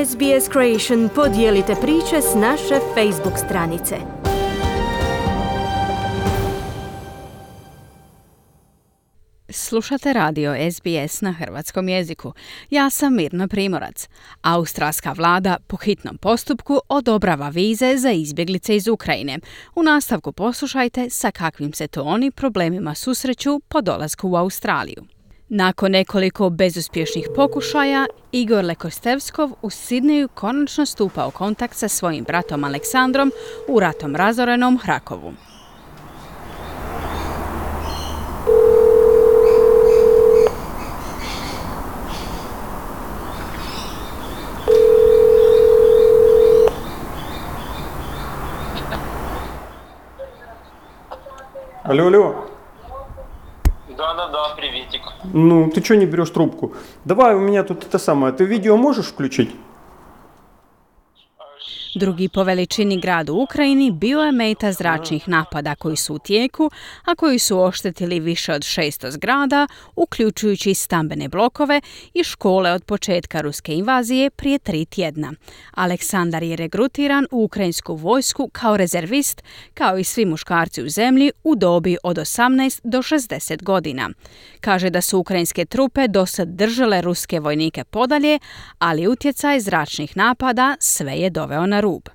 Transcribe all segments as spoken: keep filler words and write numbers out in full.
S B S Creation podijelite priče s naše Facebook stranice. Slušate radio S B S na hrvatskom jeziku. Ja sam Mirna Primorac. Australska vlada po hitnom postupku odobrava vize za izbjeglice iz Ukrajine. U nastavku poslušajte sa kakvim se to oni problemima susreću po dolasku u Australiju. Nakon nekoliko bezuspješnih pokušaja, Igor Lekostevskov u Sidneju konačno stupa u kontakt sa svojim bratom Aleksandrom u ratom razorenom Hrakovu. Алло, алло. Да-да-да, приветик. Ну, ты что не берешь трубку? Давай, у меня тут это самое. Ты видео можешь включить? Drugi po veličini grad u Ukrajini bio je meta zračnih napada koji su u tijeku, a koji su oštetili više od šesto zgrada, uključujući stambene blokove i škole od početka ruske invazije prije tri tjedna. Aleksandar je regrutiran u ukrajinsku vojsku kao rezervist, kao i svi muškarci u zemlji u dobi od osamnaest do šezdeset godina. Kaže da su ukrajinske trupe dosad držale ruske vojnike podalje, ali utjecaj zračnih napada sve je doveo na rub.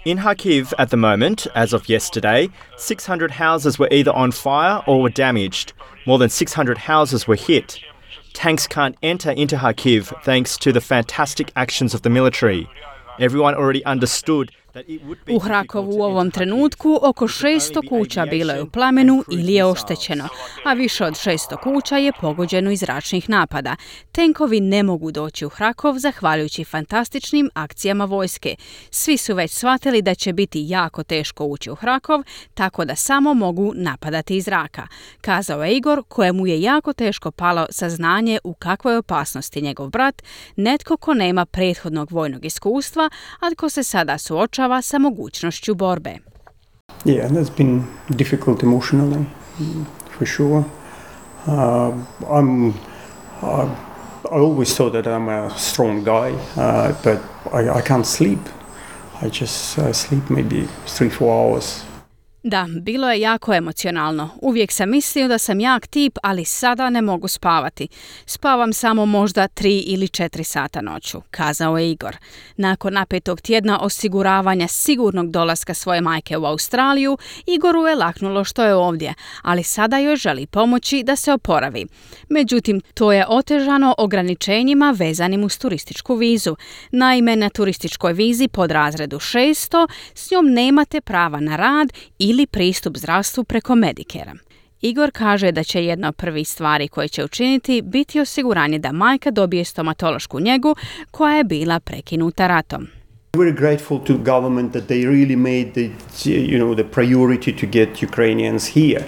In Kharkiv at the moment, as of yesterday, six hundred houses were either on fire or were damaged. More than six hundred houses were hit. Tanks can't enter into Kharkiv thanks to the fantastic actions of the military. Everyone already understood. U Hrakovu u ovom trenutku oko šesto kuća bilo je u plamenu ili je oštećeno, a više od šesto kuća je pogođeno iz zračnih napada. Tenkovi ne mogu doći u Hrakov zahvaljujući fantastičnim akcijama vojske. Svi su već shvatili da će biti jako teško ući u Hrakov, tako da samo mogu napadati iz zraka, kazao je Igor, kojemu je jako teško palo saznanje u kakvoj opasnosti njegov brat, netko ko nema prethodnog vojnog iskustva, a ko se sada suočava sa mogućnošću borbe. Yeah, that's been difficult emotionally, for sure. Uh, I'm, uh, I always thought that I'm a strong guy, uh, but I, I can't sleep. I just uh, sleep maybe three, four hours. Da, bilo je jako emocionalno. Uvijek sam mislio da sam jak tip, ali sada ne mogu spavati. Spavam samo možda tri ili četiri sata noću, kazao je Igor. Nakon napetog tjedna osiguravanja sigurnog dolaska svoje majke u Australiju, Igoru je laknulo što je ovdje, ali sada joj želi pomoći da se oporavi. Međutim, to je otežano ograničenjima vezanim uz turističku vizu. Naime, na turističkoj vizi pod razredu šesto s njom nemate prava na rad ili ili pristup zdravstvu preko Medicare-a. Igor kaže da će jedna od prvih stvari koje će učiniti biti osiguranje da majka dobije stomatološku njegu koja je bila prekinuta ratom. Very grateful to government that they really made the, you know, the priority to get Ukrainians here.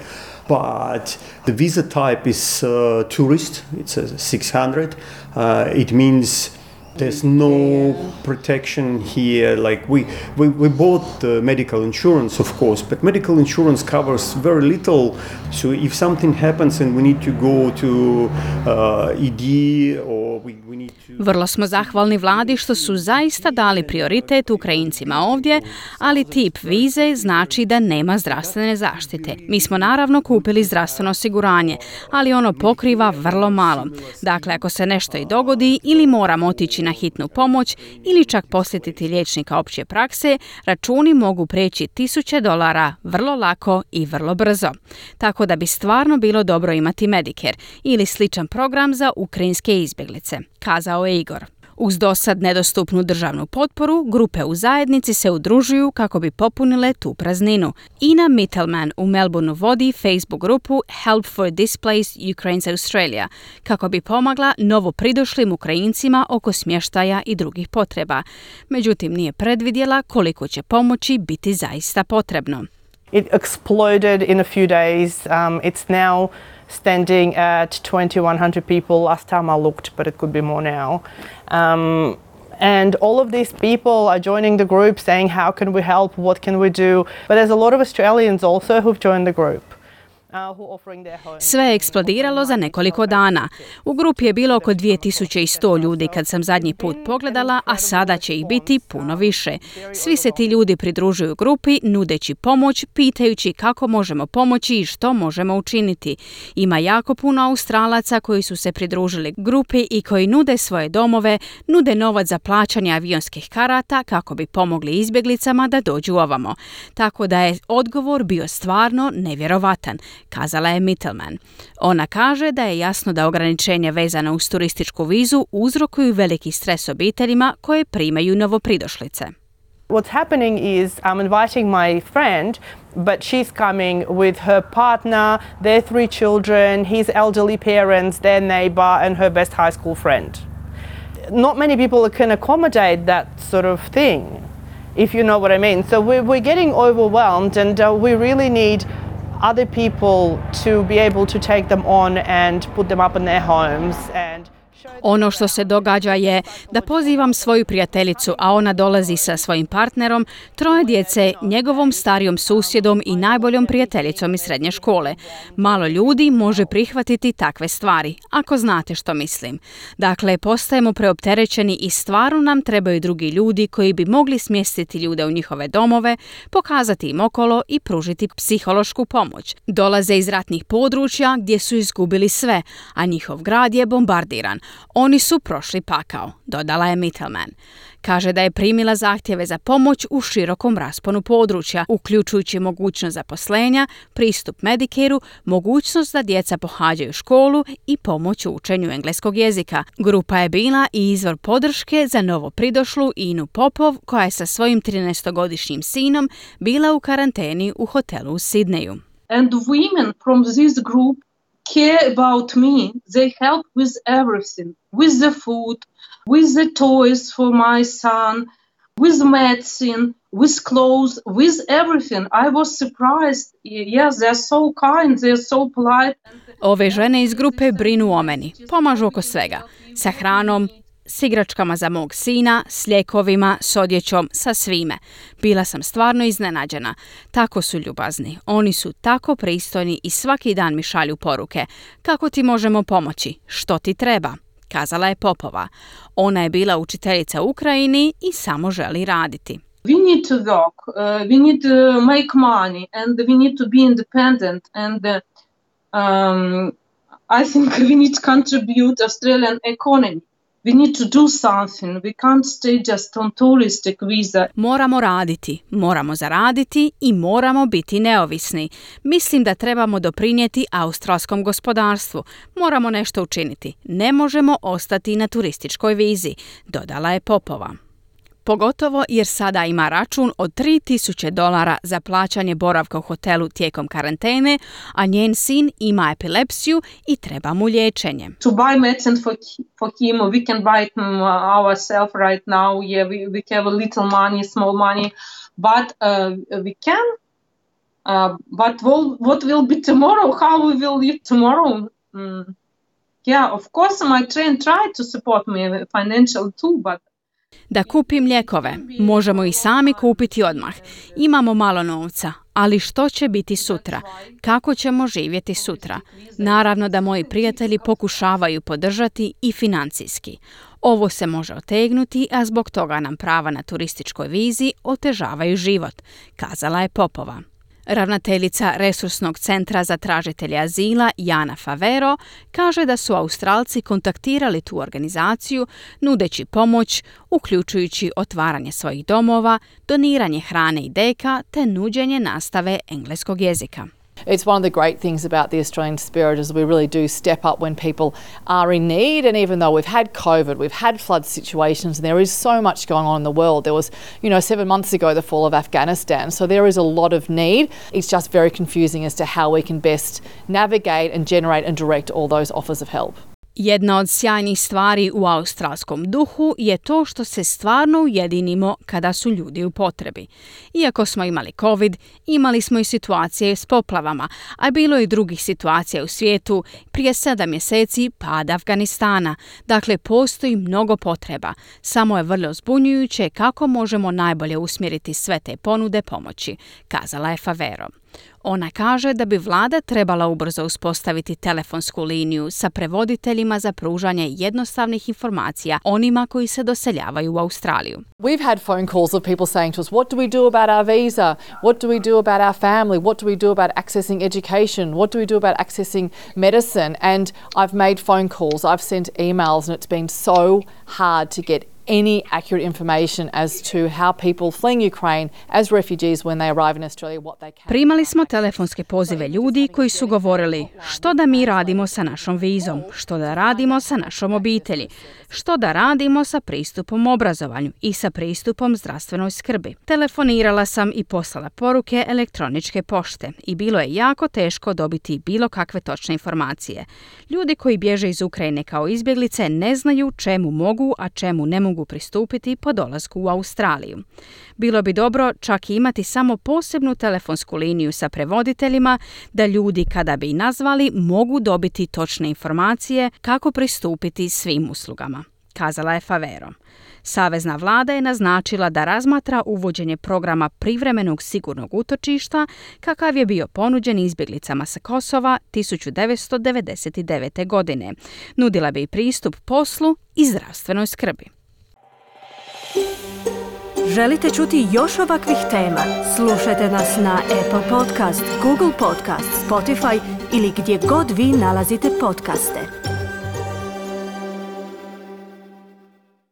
But the visa type is uh, tourist, it's a six hundred. Uh, it means there's no protection here. Like we, we, we bought uh, medical insurance, of course, but medical insurance covers very little. So if something happens and we need to go to uh, E D or we, we need to... Vrlo smo zahvalni vladi što su zaista dali prioritet Ukrajincima ovdje, ali tip vize znači da nema zdravstvene zaštite. Mi smo naravno kupili zdravstveno osiguranje, ali ono pokriva vrlo malo. Dakle, ako se nešto i dogodi ili moramo otići na hitnu pomoć ili čak posjetiti liječnika opće prakse, računi mogu preći tisuće dolara vrlo lako i vrlo brzo. Tako da bi stvarno bilo dobro imati Medicare ili sličan program za ukrajinske izbjeglice, kazao je Igor. Uz dosad nedostupnu državnu potporu, grupe u zajednici se udružuju kako bi popunile tu prazninu. Ina Mittelman u Melbourneu vodi Facebook grupu Help for Displaced Ukrainians Australia, kako bi pomagla novo pridošlim Ukrajincima oko smještaja i drugih potreba. Međutim, nije predvidjela koliko će pomoći biti zaista potrebno. It exploded in a few days. Um, it's now standing at twenty-one hundred people last time I looked, but it could be more now. Um, and all of these people are joining the group saying, how can we help? What can we do? But there's a lot of Australians also who've joined the group. Sve je eksplodiralo za nekoliko dana. U grupi je bilo oko dvije tisuće sto ljudi kad sam zadnji put pogledala, a sada će ih biti puno više. Svi se ti ljudi pridružuju grupi, nudeći pomoć, pitajući kako možemo pomoći i što možemo učiniti. Ima jako puno Australaca koji su se pridružili grupi i koji nude svoje domove, nude novac za plaćanje avionskih karata kako bi pomogli izbjeglicama da dođu ovamo. Tako da je odgovor bio stvarno nevjerovatan, kazala je Mittelman. Ona kaže da je jasno da ograničenja vezana uz turističku vizu uzrokuju veliki stres obiteljima koje primaju novopridošlice. What's happening is I'm inviting my friend, but she's coming with her partner, their three children, his elderly parents, their neighbor, and her best high school friend. Not many people can accommodate that sort of thing, if you know what I mean. So we're, we're getting overwhelmed, and uh, we really need other people to be able to take them on and put them up in their homes and Ono što se događa je da pozivam svoju prijateljicu, a ona dolazi sa svojim partnerom, troje djece, njegovom starijom susjedom i najboljom prijateljicom iz srednje škole. Malo ljudi može prihvatiti takve stvari, ako znate što mislim. Dakle, postajemo preopterećeni i stvarno nam trebaju drugi ljudi koji bi mogli smjestiti ljude u njihove domove, pokazati im okolo i pružiti psihološku pomoć. Dolaze iz ratnih područja gdje su izgubili sve, a njihov grad je bombardiran. Oni su prošli pakao, dodala je Mittelman. Kaže da je primila zahtjeve za pomoć u širokom rasponu područja, uključujući mogućnost zaposlenja, pristup Medicare-u, mogućnost da djeca pohađaju školu i pomoć u učenju engleskog jezika. Grupa je bila i izvor podrške za novo pridošlu Inu Popov, koja je sa svojim trinaestogodišnjim sinom bila u karanteni u hotelu u Sidneju. And women from this group care about me. They help with everything, with the food, with the toys for my son, with medicine, with clothes, with everything. I was surprised. Yes, they're so kind, they're so polite. Ove žene iz grupe brinu o meni, pomažu oko svega, sa hranom, s igračkama za mog sina, s lijekovima, s odjećom, sa svime. Bila sam stvarno iznenađena. Tako su ljubazni. Oni su tako pristojni i svaki dan mi šalju poruke. Kako ti možemo pomoći? Što ti treba? Kazala je Popova. Ona je bila učiteljica u Ukrajini i samo želi raditi. We need to work, uh, we need to make money, and we need to be independent, and uh, um, I think we need to contribute Australian economy. We need to do something. We can't stay just on touristic visa. Moramo raditi, moramo zaraditi i moramo biti neovisni. Mislim da trebamo doprinijeti australskom gospodarstvu. Moramo nešto učiniti. Ne možemo ostati na turističkoj vizi, dodala je Popova. Pogotovo jer sada ima račun od tri tisuće dolara za plaćanje boravka u hotelu tijekom karantene, a njen sin ima epilepsiju i treba mu liječenje. To buy medicine for, for him, we can buy it ourselves right now. Yeah, we, we have a little money, small money, but uh, we can. Uh, but we'll, what will be tomorrow? How we will live tomorrow? Mm. Yeah, of course my train tried to support me financially too, but da kupim lijekove. Možemo ih sami kupiti odmah. Imamo malo novca, ali što će biti sutra? Kako ćemo živjeti sutra? Naravno da moji prijatelji pokušavaju podržati i financijski. Ovo se može otegnuti, a zbog toga nam prava na turističkoj vizi otežavaju život, kazala je Popova. Ravnateljica Resursnog centra za tražitelje azila Jana Favero kaže da su Australci kontaktirali tu organizaciju nudeći pomoć, uključujući otvaranje svojih domova, doniranje hrane i deka te nuđenje nastave engleskog jezika. It's one of the great things about the Australian spirit is we really do step up when people are in need, and even though we've had COVID, we've had flood situations, and there is so much going on in the world. There was, you know, seven months ago the fall of Afghanistan, so there is a lot of need. It's just very confusing as to how we can best navigate and generate and direct all those offers of help. Jedna od sjajnih stvari u australskom duhu je to što se stvarno ujedinimo kada su ljudi u potrebi. Iako smo imali COVID, imali smo i situacije s poplavama, a bilo je i drugih situacija u svijetu, prije sedam mjeseci pad Afganistana. Dakle, postoji mnogo potreba. Samo je vrlo zbunjujuće kako možemo najbolje usmjeriti sve te ponude pomoći, kazala je Favero. Ona kaže da bi vlada trebala ubrzo uspostaviti telefonsku liniju sa prevoditeljima za pružanje jednostavnih informacija onima koji se doseljavaju u Australiju. We've had phone calls of people saying to us, what do we do about our visa? What do we do about our family? What do we do about accessing education? What do we do about accessing medicine? And I've made phone calls, I've sent emails, and it's been so hard to get any accurate information as to how people fleeing Ukraine as refugees when they arrive in Australia, what they can. Primali smo telefonske pozive ljudi koji su govorili što da mi radimo sa našom vizom, što da radimo sa našom obitelji, što da radimo sa pristupom obrazovanju i sa pristupom zdravstvenoj skrbi. Telefonirala sam i poslala poruke elektroničke pošte i bilo je jako teško dobiti bilo kakve točne informacije. Ljudi koji bježe iz Ukrajine kao izbjeglice ne znaju čemu mogu, a čemu ne mogu pristupiti po dolasku u Australiju. Bilo bi dobro čak i imati samo posebnu telefonsku liniju sa prevoditeljima da ljudi kada bi nazvali mogu dobiti točne informacije kako pristupiti svim uslugama, kazala je Favero. Savezna vlada je naznačila da razmatra uvođenje programa privremenog sigurnog utočišta kakav je bio ponuđen izbjeglicama sa Kosova tisuću devetsto devedeset devete. godine. Nudila bi pristup poslu i zdravstvenoj skrbi. Želite čuti još ovakvih tema? Slušajte nas na Apple Podcast, Google Podcast, Spotify ili gdje god vi nalazite podcaste.